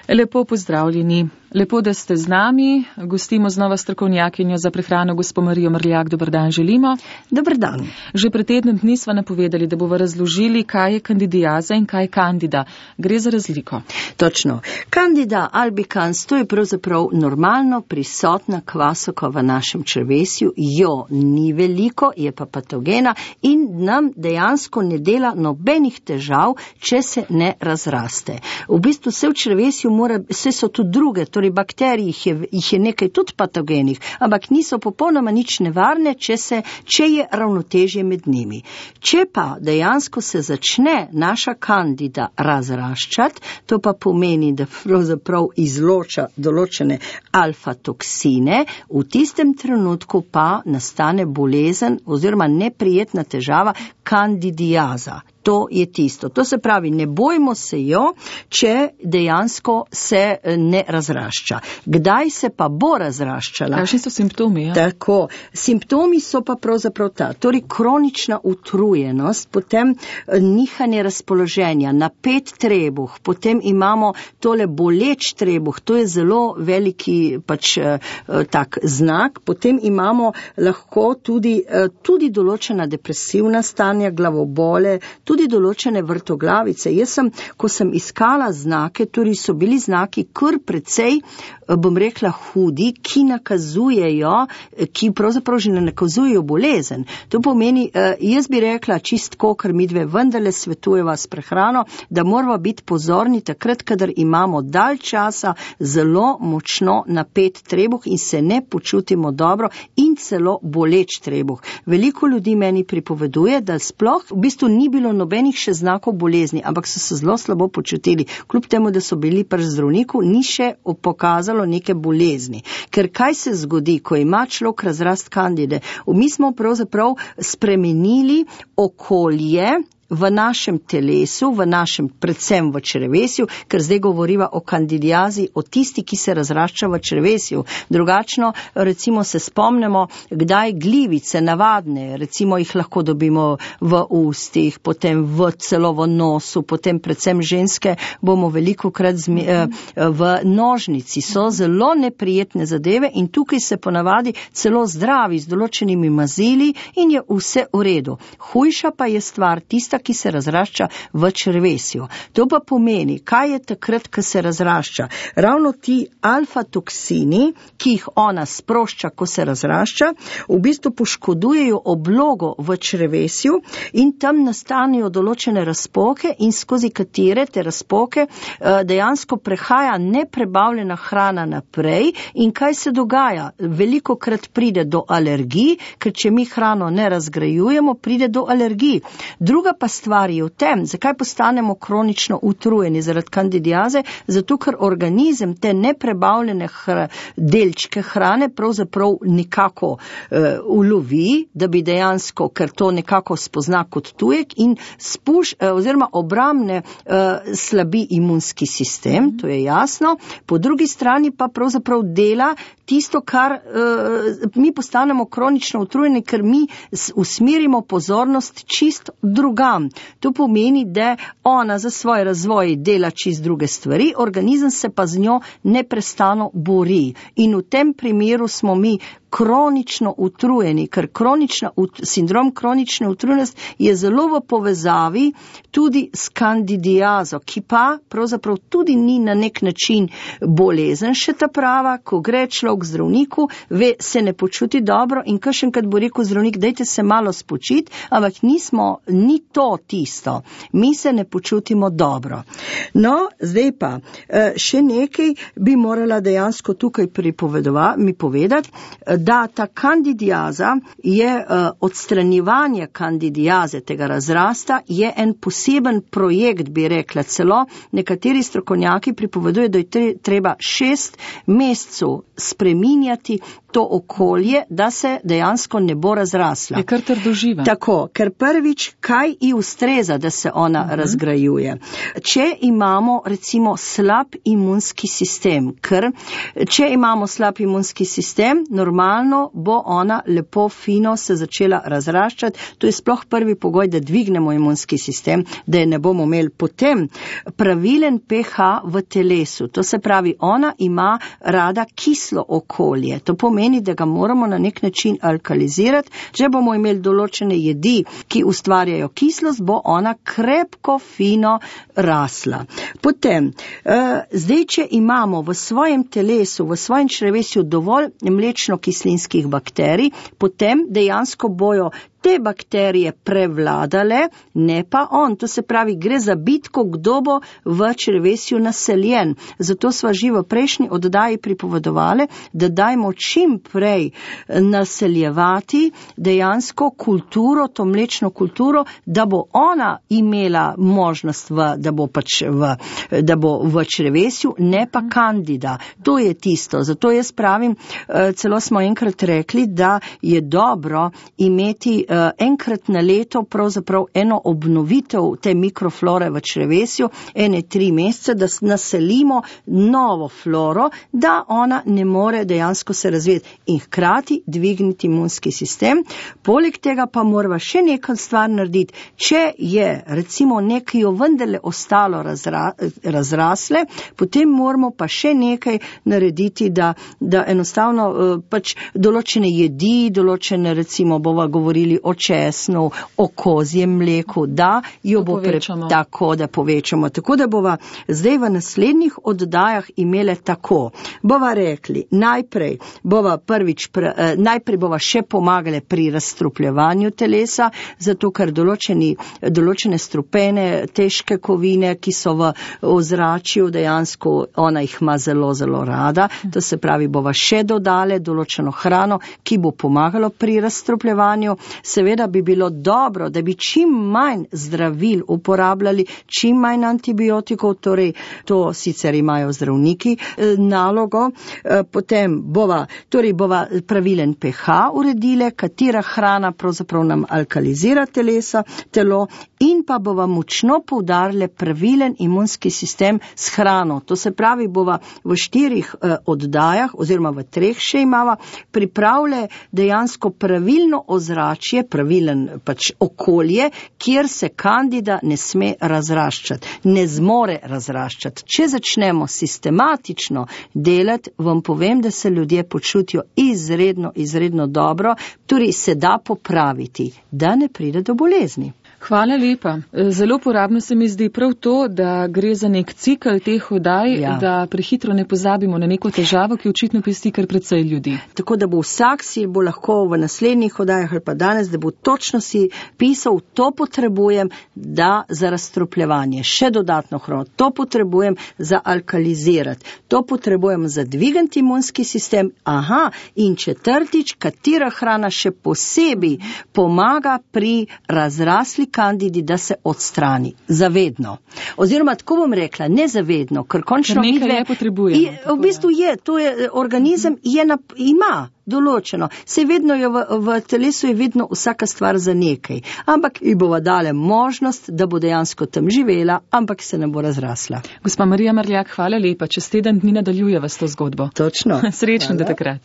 Lepo pozdravljeni. Lepo, da ste z nami. Gostimo znova strokovnjakinjo za prehrano gospo Marijo Mrljak. Dober dan želimo. Dober dan. Že pred tednom dni sva napovedali, da bova razložili, kaj je kandidiaza in kaj je kandida. Gre za razliko. Točno. Candida albicans, to je pravzaprav normalno prisotna kvasokva v našem črevesju. Jo ni veliko, je pa patogena in nam dejansko ne dela nobenih težav, če se ne razraste. V bistvu se v črevesju vse so tudi druge, torej bakterij jih je nekaj tudi patogenih, ampak niso popolnoma nič nevarne, če je ravnotežje med njimi. Če pa dejansko se začne naša kandida razraščati, to pa pomeni, da pravzaprav izloča določene alfa-toksine, v tistem trenutku pa nastane bolezen oziroma neprijetna težava kandidiaza. To je tisto. To se pravi, ne bojmo se jo, če dejansko se ne razrašča. Kdaj se pa bo razraščala? Kakšni so simptomi? Ja? Tako. Simptomi so pa pravzaprav torej kronična utrujenost, potem nihanje razpoloženja, napet trebuh, potem imamo tole boleč trebuh, to je zelo veliki tak znak, potem imamo lahko tudi določena depresivna stanja, glavobole, tudi določene vrtoglavice. Ko sem iskala znake, torej so bili znaki kar precej, bom rekla, hudi, ki pravzaprav že ne nakazujejo bolezen. To pomeni, jaz bi rekla čistko, ker midve vendarle svetujeva s prehrano, da moramo biti pozorni takrat, kadar imamo dalj časa zelo močno napet trebuh in se ne počutimo dobro in celo boleč trebuh. Veliko ljudi meni pripoveduje, da sploh v bistvu ni bilo nobenih še znakov bolezni, ampak so se zelo slabo počutili. Kljub temu, da so bili pri zdravniku, ni še pokazalo neke bolezni. Ker kaj se zgodi, ko ima človek razrast kandide? Mi smo pravzaprav spremenili okolje v našem telesu, predvsem v črevesju, ker zdaj govoriva o kandidiazi, o tisti, ki se razrašča v črevesju. Drugačno, recimo se spomnimo, kdaj glivice navadne, recimo jih lahko dobimo v ustih, potem celo v nosu, potem predvsem ženske bomo velikokrat v nožnici. So zelo neprijetne zadeve in tukaj se ponavadi celo zdravi z določenimi mazili in je vse v redu. Hujša pa je stvar tista, ki se razrašča v črevesju. To pa pomeni, kaj je takrat, ko se razrašča. Ravno ti alfa-toksini, ki jih ona sprošča, ko se razrašča, v bistvu poškodujejo oblogo v črevesju in tam nastanejo določene razpoke in skozi katere te razpoke dejansko prehaja neprebavljena hrana naprej in kaj se dogaja? Velikokrat pride do alergij, ker če mi hrano ne razgrajujemo, pride do alergij. Druga pa stvar je v tem, zakaj postanemo kronično utrujeni zaradi kandidiaze, zato ker organizem te neprebavljene delčke hrane pravzaprav nekako ulovi, da bi dejansko, ker to nekako spozna kot tujek in oziroma obrambne slabi imunski sistem, to je jasno. Po drugi strani pa pravzaprav dela tisto, kar mi postanemo kronično utrujeni, ker mi usmerimo pozornost čist drugam. To pomeni, da ona za svoj razvoj dela čist druge stvari, organizem se pa z njo neprestano bori. In v tem primeru smo mi kronično utrujeni, ker sindrom kronične utrujenosti je zelo v povezavi tudi s kandidiazo, ki pa pravzaprav tudi ni na nek način bolezen še ta prava, ko gre človek k zdravniku, se ne počuti dobro in kakšenkrat bo rekel zdravnik, dajte se malo spočiti, ampak ni to tisto. Mi se ne počutimo dobro. No, zdaj pa, še nekaj bi morala dejansko tukaj mi povedati, da ta kandidiaza je odstranjevanje kandidiaze, tega razrasta, je en poseben projekt, bi rekla celo. Nekateri strokovnjaki pripovedujejo, da je treba 6 mesecev spreminjati to okolje, da se dejansko ne bo razrasla. Je kar trdoživa. Tako, ker prvič, kaj ji ustreza, da se ona razgrajuje. Če imamo recimo slab slab imunski sistem, ker če imamo slab imunski sistem, normalno bo ona lepo fino se začela razraščati. To je sploh prvi pogoj, da dvignemo imunski sistem, da je ne bomo imeli. Potem pravilen pH v telesu, to se pravi, ona ima rada kislo okolje. To pomeni, da ga moramo na nek način alkalizirati. Če bomo imeli določene jedi, ki ustvarjajo kislost, bo ona krepko fino rasla. Potem, zdaj, če imamo v svojem telesu, v svojem črevesju dovolj mlečno-kislinskih bakterij, potem dejansko bojo te bakterije prevladale, ne pa on. To se pravi, gre za bitko, kdo bo v črevesju naseljen. Zato sva že v prejšnji oddaji pripovedovali, da dajmo čim prej naseljevati dejansko kulturo, to mlečno kulturo, da bo ona imela možnost, da bo v črevesju, ne pa kandida. To je tisto. Zato jaz pravim, celo smo enkrat rekli, da je dobro imeti enkrat na leto pravzaprav eno obnovitev te mikroflore v črevesju, 1-3 mesece, da naselimo novo floro, da ona ne more dejansko se razvijeti in hkrati dvigniti imunski sistem. Poleg tega pa morava še nekaj stvar narediti. Če je recimo nekaj vendarle ostalo razrasle, potem moramo pa še nekaj narediti, da enostavno pač določene jedi, določene recimo bova govorili o česnu, o kozjem mleku, da jo bo tako, da povečamo. Tako da bova zdaj v naslednjih oddajah imele tako. Bova rekli, najprej bova še pomagali pri razstrupljevanju telesa, zato ker določene strupene, težke kovine, ki so v ozračju, dejansko ona jih ima zelo, zelo rada. To se pravi, bova še dodale določeno hrano, ki bo pomagalo pri razstrupljevanju. Seveda bi bilo dobro, da bi čim manj zdravil uporabljali, čim manj antibiotikov, torej to sicer imajo zdravniki nalogo. Potem bova pravilen pH uredile, katera hrana pravzaprav nam alkalizira telo in pa bova močno poudarile pravilen imunski sistem s hrano. To se pravi, bova v 4 oddajah oziroma v 3 še imava pripravile dejansko pravilno ozračje, pravilen pač okolje, kjer se kandida ne sme razraščati, ne zmore razraščati. Če začnemo sistematično delati, vam povem, da se ljudje počutijo izredno dobro, torej se da popraviti, da ne pride do bolezni. Hvala lepa. Zelo uporabno se mi zdi prav to, da gre za nek cikl teh oddaj, da prehitro ne pozabimo na neko težavo, ki očitno pesti kar precej ljudi. Tako da bo vsak si bo lahko v naslednjih oddajah ali pa danes, da bo točno si pisal, to potrebujem za razstrupljevanje, še dodatno hrano, to potrebujem za alkalizirati, to potrebujem za dvigant imunski sistem, in četrtič, katera hrana še posebej pomaga pri razrasli kandidi, da se odstrani. Zavedno. Oziroma, tako bom rekla, nezavedno, ker končno nekaj je potrebujemo. V bistvu to je organizem, ima določeno. Se vedno je v telesu je vedno vsaka stvar za nekaj. Ampak ji bova dale možnost, da bo dejansko tam živela, ampak se ne bo razrasla. Gospa Marija Mrljak, hvala lepa. Čez teden dni nadaljujeva s to zgodbo. Točno. Srečno do takrat.